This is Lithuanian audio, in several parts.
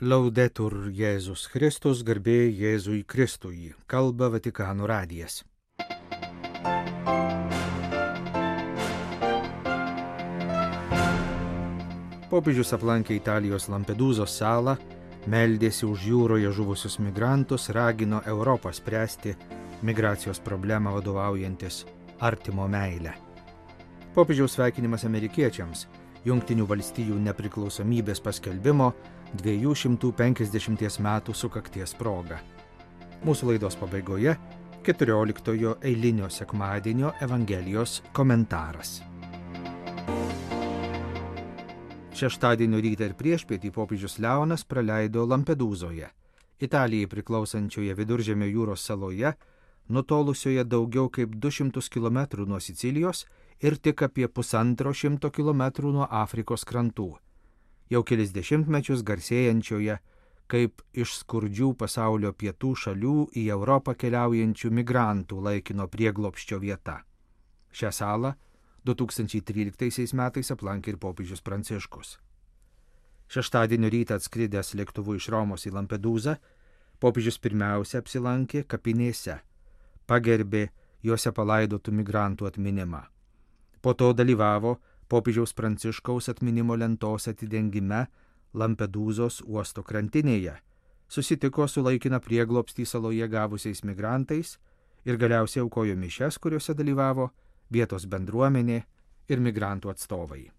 Laudetur Jėzus Kristus, garbė Jėzui Kristui, kalba Vatikano radijas. Popiežius aplankė Italijos Lampedūzos salą, meldėsi už jūroje žuvusius migrantus, ragino Europą spręsti migracijos problemą vadovaujantis artimo meilę. Popiežiaus sveikinimas amerikiečiams Jungtinių valstijų nepriklausomybės paskelbimo 250 metų sukakties proga. Mūsų laidos pabaigoje 14 eilinio sekmadienio Evangelijos komentaras. Šeštadienio rytą ir priešpietį popiežius Leonas praleido Lampedūzoje, Italijai priklausančioje Viduržemio jūros saloje, nutolusioje daugiau kaip 200 km nuo Sicilijos ir tik apie 150 km nuo Afrikos krantų. Jau kelis dešimtmečius garsėjančioje kaip iš skurdžių pasaulio pietų šalių į Europą keliaujančių migrantų laikino prieglobsčio vieta. Šią salą 2013 metais aplankė ir popiežius Pranciškus. Šeštadienio rytą atskridęs lėktuvu iš Romos į Lampedūzą, popiežius pirmiausia apsilankė kapinėse, pagerbė juose palaidotų migrantų atminimą. Po to dalyvavo popiežiaus Pranciškaus atminimo lentos atidengime Lampedūzos uosto krantinėje, susitiko su laikiną prieglobstį saloje gavusiais migrantais ir galiausiai aukojo mišias, kuriuose dalyvavo vietos bendruomenė ir migrantų atstovai.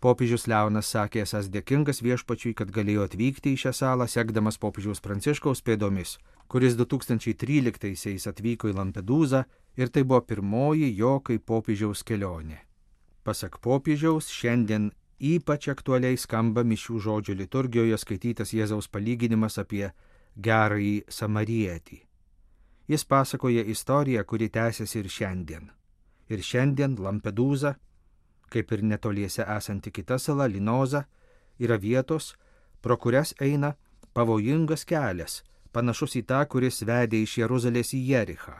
Popiežius Leonas sakė esąs dėkingas viešpačiui, kad galėjo atvykti į šią salą, sekdamas popiežiaus Pranciškaus pėdomis, kuris 2013-aisiais atvyko į Lampedūzą ir tai buvo pirmoji jo kaip popiežiaus kelionė. Pasak popiežiaus, šiandien ypač aktualiai skamba mišių žodžio liturgijoje skaitytas Jėzaus palyginimas apie gerąjį samarietį. Jis pasakoja istoriją, kuri tęsiasi ir šiandien. Ir šiandien Lampedūza, kaip ir netoliese esanti kita sala Linoza, yra vietos, pro kurias eina pavojingas kelias, panašus į tą, kuris vedė iš Jeruzalės į Jerichą.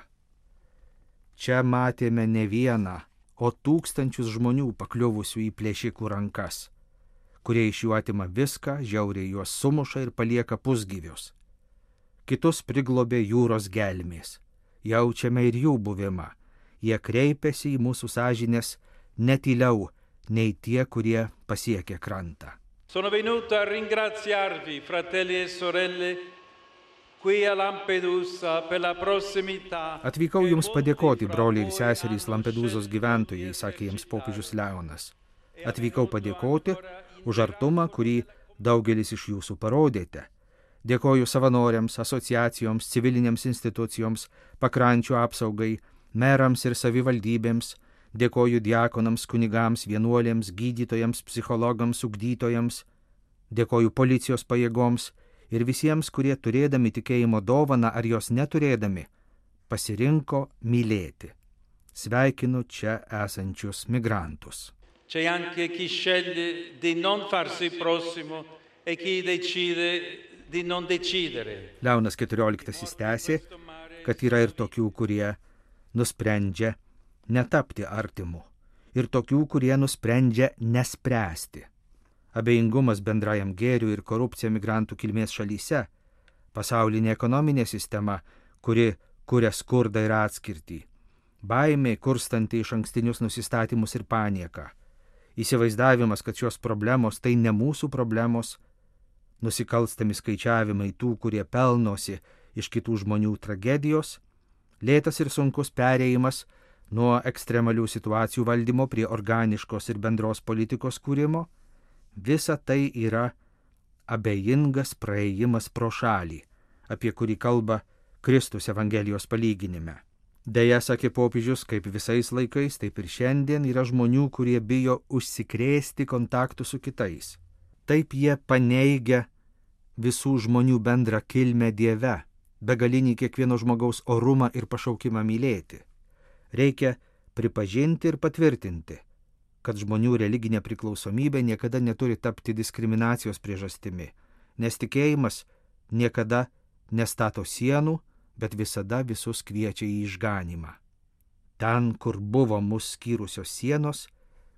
Čia matėme ne vieną, o tūkstančius žmonių pakliuvusių į plėšikų rankas, kurie iš jų atima viską, žiauriai juos sumuša ir palieka pusgyvius. Kitus priglobė jūros gelmės. Jaučiame ir jų buvimą. Jie kreipiasi į mūsų sąžinės netyliau nei tie, kurie pasiekė krantą. Sono venuto a ringraziarvi, fratelli e sorelle, qui a Lampedusa per la prossimità. Atvykau jums padėkoti, broliai ir seserys Lampedūzos gyventojai, sakė jiems popiežius Leonas. Atvykau padėkoti už artumą, kurį daugelis iš jūsų parodėte. Dėkoju savanoriams, asociacijoms, civilinėms institucijoms, pakrančių apsaugai, merams ir savivaldybėms, dėkoju diakonams, kunigams, vienuolėms, gydytojams, psichologams, ugdytojams, dėkoju policijos pajėgoms ir visiems, kurie turėdami tikėjimo dovaną ar jos neturėdami, pasirinko mylėti. Sveikinu čia esančius migrantus. C'è anche chi sceglie di non farsi prossimo e chi decide di non decidere. Leonas XIV tęsė, kad yra ir tokių, kurie nusprendžia netapti artimu, ir tokių, kurie nusprendžia nespręsti. Abejingumas bendrajam gėriui ir korupcija migrantų kilmės šalyse, pasaulinė ekonominė sistema, kuri kuria skurdą ir atskirtį, baimė kurstanti iš ankstinius nusistatymus ir panieką, įsivaizdavimas, kad šios problemos tai ne mūsų problemos, nusikalstami skaičiavimai tų, kurie pelnosi iš kitų žmonių tragedijos, lėtas ir sunkus perėjimas nuo ekstremalių situacijų valdymo prie organiškos ir bendros politikos kūrimo, visa tai yra abejingas praėjimas pro šalį, apie kurį kalba Kristus Evangelijos palyginime. Deja, sakė popiežius, kaip visais laikais, taip ir šiandien yra žmonių, kurie bijo užsikrėsti kontaktų su kitais. Taip jie paneigia visų žmonių bendrą kilmę Dieve, begalinį kiekvieno žmogaus orumą ir pašaukimą mylėti. Reikia pripažinti ir patvirtinti, kad žmonių religinė priklausomybė niekada neturi tapti diskriminacijos priežastimi, nes tikėjimas niekada nestato sienų, bet visada visus kviečia į išganymą. Ten, kur buvo mus skyrusios sienos,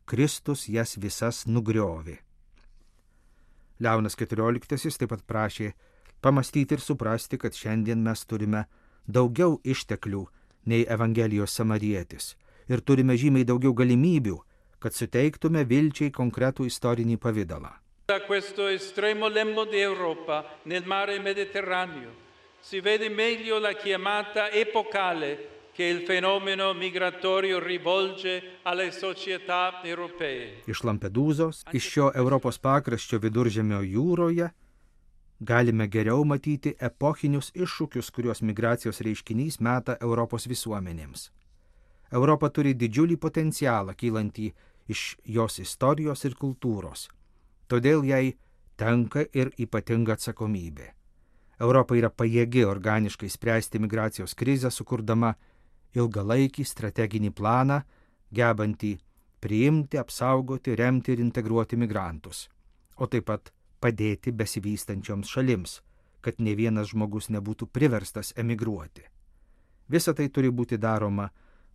Kristus jas visas nugriovė. Leonas XIV taip pat prašė pamastyti ir suprasti, kad šiandien mes turime daugiau išteklių nei Evangelijos samarietis ir turime žymiai daugiau galimybių, kad suteiktume vilčiai konkretų istorinį pavidalą. Da questo estremo lembo di Europa nel mare Mediterraneo si vede meglio la chiamata epocale che il fenomeno migratorio rivolge alle società europee. Iš Lampedūzos, iš šio Europos pakraščio Viduržemio jūroje galime geriau matyti epochinius iššūkius, kuriuos migracijos reiškinys meta Europos visuomenėms. Europa turi didžiulį potencialą kylantį iš jos istorijos ir kultūros. Todėl jai tenka ir ypatinga atsakomybė. Europa yra pajėgi organiškai spręsti migracijos krizę, sukurdama ilgalaikį strateginį planą, gebantį priimti, apsaugoti, remti ir integruoti migrantus, o taip pat padėti besivystančioms šalims, kad ne vienas žmogus nebūtų priverstas emigruoti. Visa tai turi būti daroma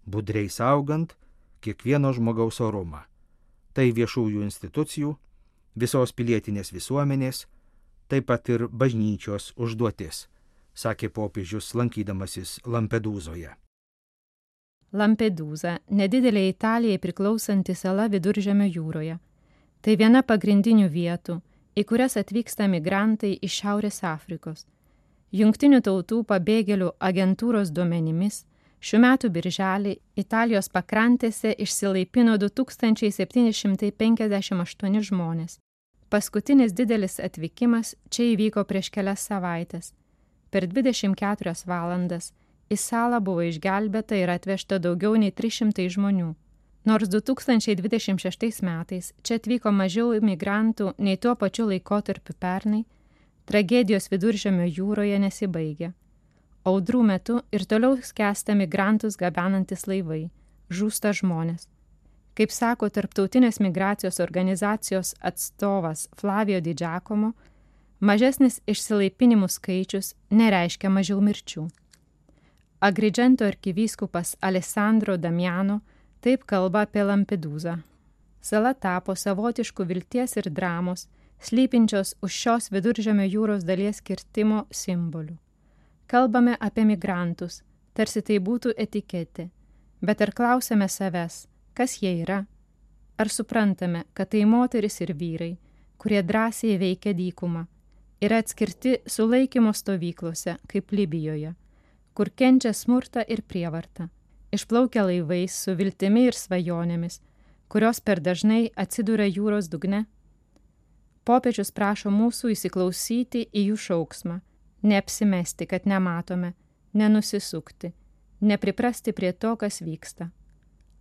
budriai saugant kiekvieno žmogaus orumą. Tai viešųjų institucijų, visos pilietinės visuomenės, taip pat ir bažnyčios užduotis, sakė popiežius lankydamasis Lampedūzoje. Lampedūza – nedidelė Italijai priklausanti sala Viduržemio jūroje. Tai viena pagrindinių vietų, į kurias atvyksta migrantai iš Šiaurės Afrikos. Jungtinių tautų pabėgėlių agentūros duomenimis, šių metų birželį Italijos pakrantėse išsilaipino 2758 žmonės. Paskutinis didelis atvykimas čia įvyko prieš kelias savaites. Per 24 valandas į salą buvo išgelbėta ir atvežta daugiau nei 300 žmonių. Nors 2026 metais čia atvyko mažiau imigrantų nei tuo pačiu laikotarpiu pernai, tragedijos Viduržemio jūroje nesibaigia. Audrų metu ir toliau skęsta migrantus gabenantis laivai, žūsta žmonės. Kaip sako Tarptautinės migracijos organizacijos atstovas Flavio Di Giacomo, mažesnis išsilaipinimų skaičius nereiškia mažiau mirčių. Agrigento arkivyskupas Alessandro Damiano taip kalba apie Lampedūzą. Sala tapo savotišku vilties ir dramos, slypinčios už šios Viduržemio jūros dalies kirtimo simboliu. Kalbame apie migrantus, tarsi tai būtų etiketė, bet ar klausime savęs, kas jie yra? Ar suprantame, kad tai moteris ir vyrai, kurie drąsiai veikia dykumą, yra atskirti sulaikymo stovyklose, kaip Libijoje, kur kenčia smurtą ir prievartą, išplaukia laivais su viltimi ir svajonėmis, kurios per dažnai atsiduria jūros dugne? Popiežius prašo mūsų įsiklausyti į jų šauksmą, neapsimesti, kad nematome, nenusisukti, nepriprasti prie to, kas vyksta.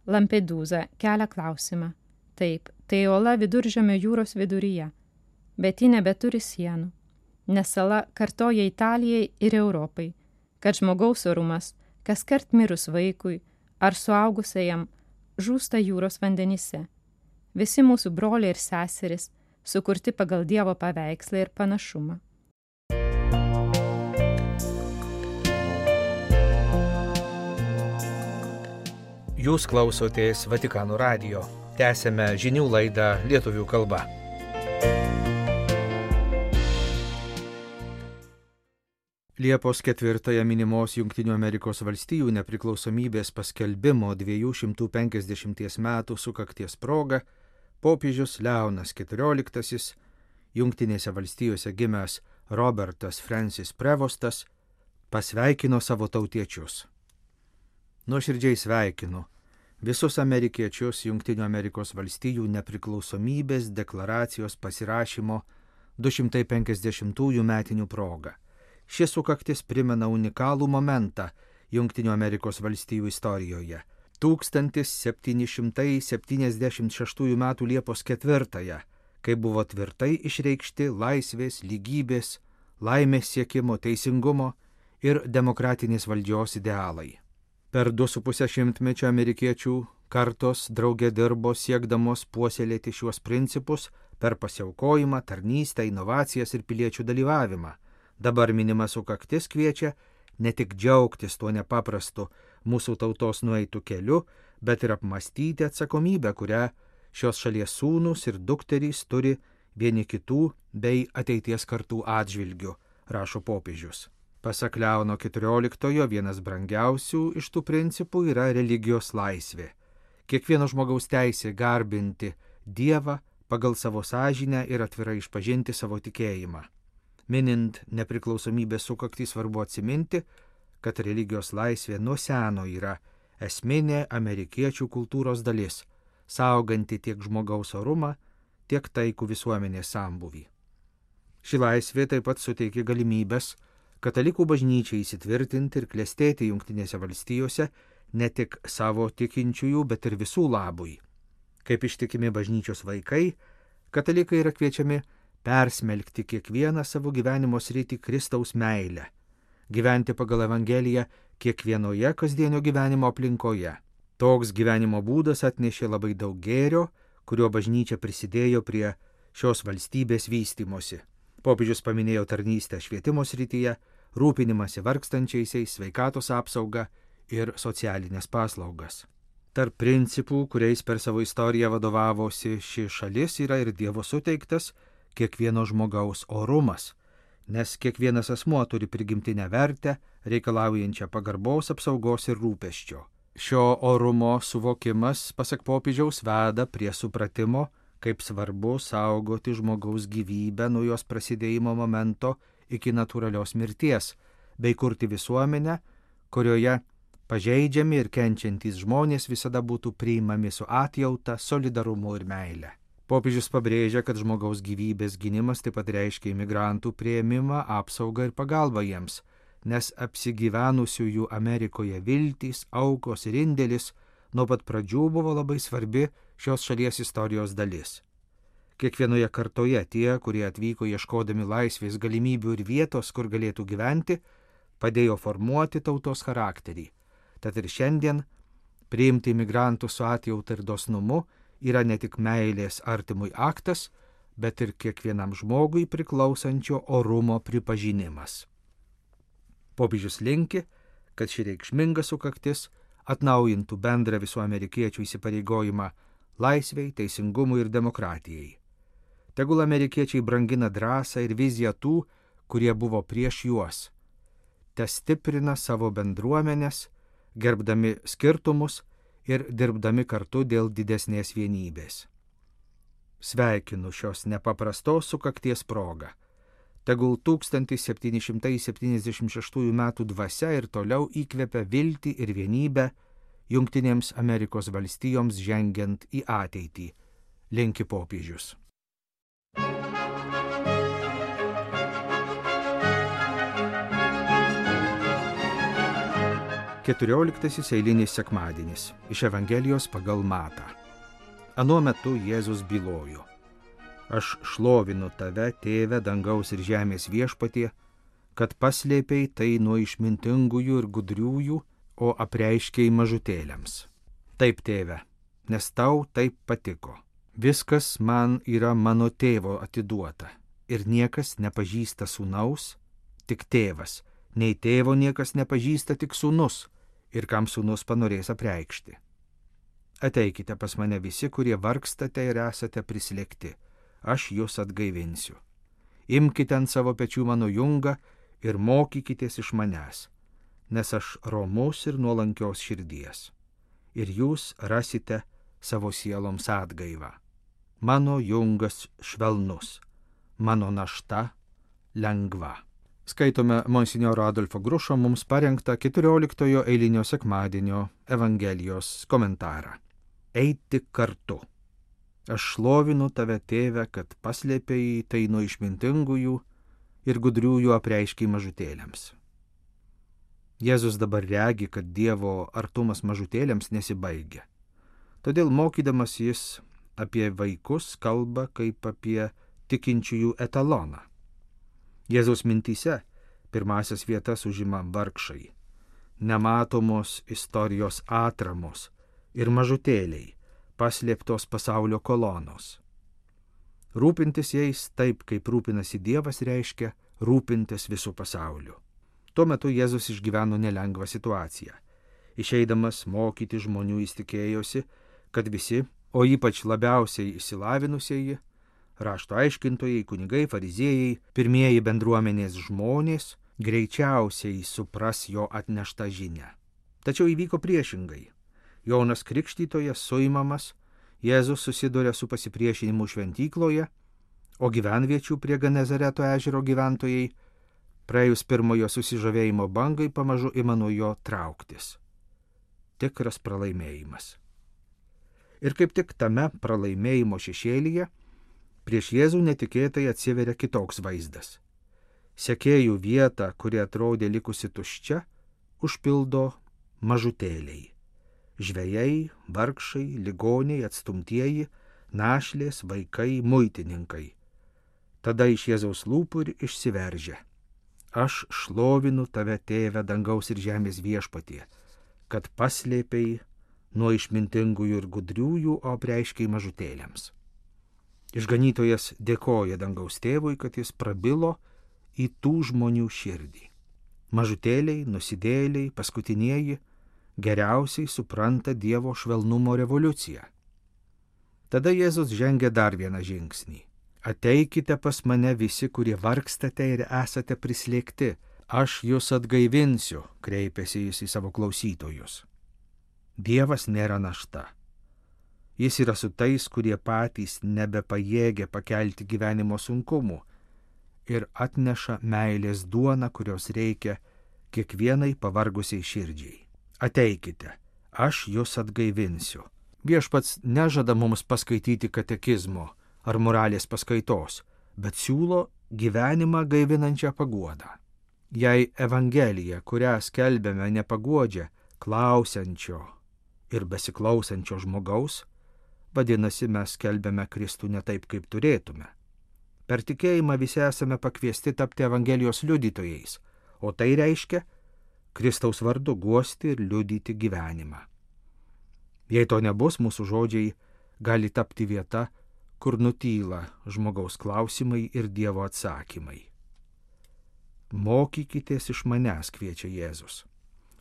Lampedūza kelia klausimą. Taip, tai ola Viduržemio jūros viduryje, bet ji nebeturi sienų, nes sala kartoja Italijai ir Europai, kad žmogaus orumas, kaskart mirus vaikui ar suaugusiajam, žūsta jūros vandenyse. Visi mūsų broliai ir seseris sukurti pagal Dievo paveikslą ir panašumą. Jūs klausotės Vatikano radijo. Tęsėme žinių laidą lietuvių kalba. Liepos 4 minimos Jungtinių Amerikos valstijų nepriklausomybės paskelbimo 250 metų sukakties proga popiežius Leonas XIV, Jungtinėse valstijose gimęs Robertas Francis Prevostas, pasveikino savo tautiečius. Nuoširdžiai sveikinu visus amerikiečius Jungtinių Amerikos valstijų nepriklausomybės deklaracijos pasirašymo 250 metinių proga. Šis sukaktis primena unikalų momentą Jungtinių Amerikos valstijų istorijoje. 1776 m. Liepos 4, kai buvo tvirtai išreikšti laisvės, lygybės, laimės siekimo, teisingumo ir demokratinės valdžios idealai. Per 2,5 šimtmečio amerikiečių kartos draugė dirbo siekdamos puoselėti šiuos principus per pasiaukojimą, tarnystę, inovacijas ir piliečių dalyvavimą. Dabar minimas sukaktis kviečia ne tik džiaugtis tuo nepaprastu mūsų tautos nueitų keliu, bet ir apmastyti atsakomybę, kurią šios šalies sūnus ir dukterys turi vieni kitų bei ateities kartų atžvilgių, rašo popiežius. Pasak Leono XIV vienas brangiausių iš tų principų yra religijos laisvė. Kiekvieno žmogaus teisė garbinti Dievą pagal savo sąžinę ir atvirai išpažinti savo tikėjimą. Minint nepriklausomybės sukaktį svarbu atsiminti, kad religijos laisvė nuo seno yra esminė amerikiečių kultūros dalis, sauganti tiek žmogaus orumą, tiek taikų visuomenės sambūvį. Ši laisvė taip pat suteikia galimybės katalikų bažnyčiai įsitvirtinti ir klestėti Jungtinėse valstijose ne tik savo tikinčiųjų, bet ir visų labui. Kaip ištikimi bažnyčios vaikai, katalikai yra kviečiami persmelkti kiekvieną savo gyvenimo sritį Kristaus meilę, gyventi pagal Evangeliją kiekvienoje kasdienio gyvenimo aplinkoje. Toks gyvenimo būdas atnešė labai daug gėrio, kurio bažnyčia prisidėjo prie šios valstybės vystymosi. Popiežius paminėjo tarnystę švietimo srityje, rūpinimąsi vargstančiaisiais, sveikatos apsaugą ir socialinės paslaugas. Tarp principų, kuriais per savo istoriją vadovavosi ši šalis, yra ir Dievo suteiktas kiekvieno žmogaus orumas, nes kiekvienas asmuo turi prigimtinę vertę, reikalaujančią pagarbos, apsaugos ir rūpesčio. Šio orumo suvokimas, pasak popiežiaus, veda prie supratimo, kaip svarbu saugoti žmogaus gyvybę nuo jos prasidėjimo momento iki natūralios mirties, bei kurti visuomenę, kurioje pažeidžiami ir kenčiantys žmonės visada būtų priimami su atjauta, solidarumu ir meile. Popiežius pabrėžia, kad žmogaus gyvybės gynimas taip pat reiškia imigrantų priėmimą, apsaugą ir pagalbą jiems, nes apsigyvenusiųjų Amerikoje viltys, aukos ir indėlis nuo pat pradžių buvo labai svarbi šios šalies istorijos dalis. Kiekvienoje kartoje tie, kurie atvyko ieškodami laisvės, galimybių ir vietos, kur galėtų gyventi, padėjo formuoti tautos charakterį. Tad ir šiandien priimti imigrantų su atjauta ir dosnumu yra ne tik meilės artimui aktas, bet ir kiekvienam žmogui priklausančio orumo pripažinimas. Popiežius linki, kad ši reikšminga sukaktis atnaujintų bendrą visų amerikiečių įsipareigojimą laisvei, teisingumui ir demokratijai. Tegul amerikiečiai brangina drąsą ir viziją tų, kurie buvo prieš juos. Te stiprina savo bendruomenės, gerbdami skirtumus ir dirbdami kartu dėl didesnės vienybės. Sveikinu šios nepaprastos sukakties progą. Tegul 1776 metų dvasia ir toliau įkvepia viltį ir vienybę Jungtinėms Amerikos valstijoms žengiant į ateitį, linki popiežius. Keturioliktasis eilinis sekmadienis iš Evangelijos pagal Matą. Anuo metu Jėzus bylojo: Aš šlovinu tave, tėve, dangaus ir žemės viešpatie, kad paslėpei tai nuo išmintingųjų ir gudriųjų, o apreiškei mažutėliams. Taip, tėve, nes tau taip patiko. Viskas man yra mano tėvo atiduota, ir niekas nepažįsta sūnaus, tik tėvas, nei tėvo niekas nepažįsta, tik sūnus, ir kam sūnus panorės apreikšti. Ateikite pas mane visi, kurie vargstate ir esate prislėgti, aš jūs atgaivinsiu. Imkite ant savo pečių mano jungą ir mokykitės iš manęs, nes aš romus ir nuolankios širdies, ir jūs rasite savo sieloms atgaivą. Mano jungas švelnus, mano našta lengva. Skaitome monsinjoro Adolfo Grušo mums parengtą 14 eilinio sekmadienio Evangelijos komentarą. Eiti kartu. Aš šlovinu tave, tėve, kad paslėpei tai nuo išmintingųjų ir gudriųjų apreiškiai mažutėliams. Jėzus dabar regi, kad Dievo artumas mažutėliams nesibaigia. Todėl mokydamas jis apie vaikus kalba kaip apie tikinčiųjų etaloną. Jėzaus mintyse pirmasias vietas užima vargšai, nematomos istorijos atramos ir mažutėliai, paslėptos pasaulio kolonos. Rūpintis jais taip, kaip rūpinasi Dievas, reiškia rūpintis visų pasauliu. Tuo metu Jėzus išgyveno nelengvą situaciją. Išeidamas mokyti žmonių jis tikėjosi, kad visi, o ypač labiausiai išsilavinusieji, Rašto aiškintojai, kunigai, fariziejai, pirmieji bendruomenės žmonės greičiausiai supras jo atneštą žinią. Tačiau įvyko priešingai. Jonas Krikštytojas suimamas, Jėzus susiduria su pasipriešinimu šventykloje, o gyvenviečių prie Genezareto ežero gyventojai, praėjus pirmojo susižavėjimo bangai, pamažu ima nuo jo trauktis. Tikras pralaimėjimas. Ir kaip tik tame pralaimėjimo šešėlyje prieš Jėzų netikėtai atsiveria kitoks vaizdas. Sekėjų vietą, kuri atrodė likusi tuščia, užpildo mažutėliai. Žvejai, vargšai, ligoniai, atstumtieji, našlės, vaikai, muitininkai. Tada iš Jėzaus lūpų ir išsiveržia: Aš šlovinu tave, tėve, dangaus ir žemės viešpatie, kad paslėpei nuo išmintingųjų ir gudriųjų, o apreiškei mažutėliams. Išganytojas dėkoja dangaus tėvui, kad jis prabilo į tų žmonių širdį. Mažutėliai, nusidėjėliai, paskutinieji geriausiai supranta Dievo švelnumo revoliuciją. Tada Jėzus žengia dar vieną žingsnį. Ateikite pas mane visi, kurie vargstate ir esate prislėgti, aš jūs atgaivinsiu, kreipėsi jis į savo klausytojus. Dievas nėra našta. Jis yra su tais, kurie patys nebepajėgia pakelti gyvenimo sunkumų ir atneša meilės duoną, kurios reikia kiekvienai pavargusiai širdžiai. Ateikite, aš jūs atgaivinsiu. Viešpats nežada mums paskaityti katekizmo ar moralės paskaitos, bet siūlo gyvenimą gaivinančią paguodą. Jei Evangelija, kurią skelbėme, nepaguodžia klausiančio ir besiklausančio žmogaus, vadinasi, mes skelbėme Kristų ne taip, kaip turėtume. Per tikėjimą visi esame pakviesti tapti Evangelijos liudytojais, o tai reiškia Kristaus vardu guosti ir liudyti gyvenimą. Jei to nebus, mūsų žodžiai gali tapti vieta, kur nutyla žmogaus klausimai ir Dievo atsakymai. Mokykitės iš manęs, kviečia Jėzus.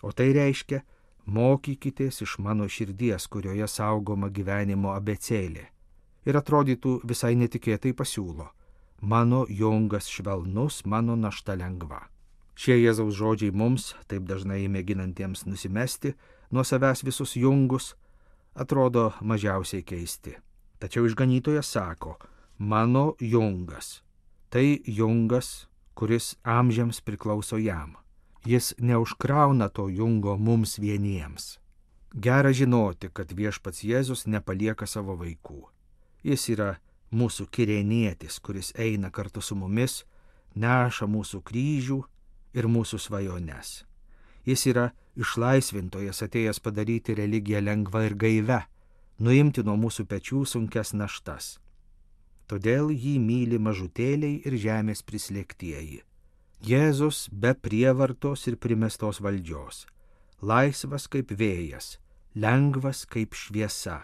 O tai reiškia, mokykitės iš mano širdies, kurioje saugoma gyvenimo abėcėlė. Ir atrodytų visai netikėtai pasiūlo: mano jungas švelnus, mano našta lengva. Šie Jėzaus žodžiai mums, taip dažnai mėginantiems nusimesti nuo savęs visus jungus, atrodo mažiausiai keisti. Tačiau išganytojas sako: mano jungas. Tai jungas, kuris amžiams priklauso jam. Jis neužkrauna to jungo mums vieniems. Gera žinoti, kad viešpats Jėzus nepalieka savo vaikų. Jis yra mūsų kirėnietis, kuris eina kartu su mumis, neša mūsų kryžių ir mūsų svajones. Jis yra išlaisvintojas, atėjęs padaryti religiją lengva ir gaive, nuimti nuo mūsų pečių sunkes naštas. Todėl jį myli mažutėliai ir žemės prislėgtieji. Jėzus be prievartos ir primestos valdžios, laisvas kaip vėjas, lengvas kaip šviesa,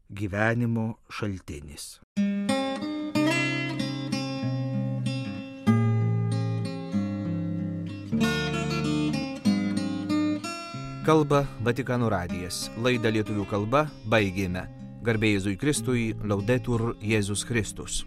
gyvenimo šaltinis. Kalba Vatikano radijas. Laidą lietuvių kalba baigėme. Garbė Jėzui Kristui, Laudetur Jėzus Kristus.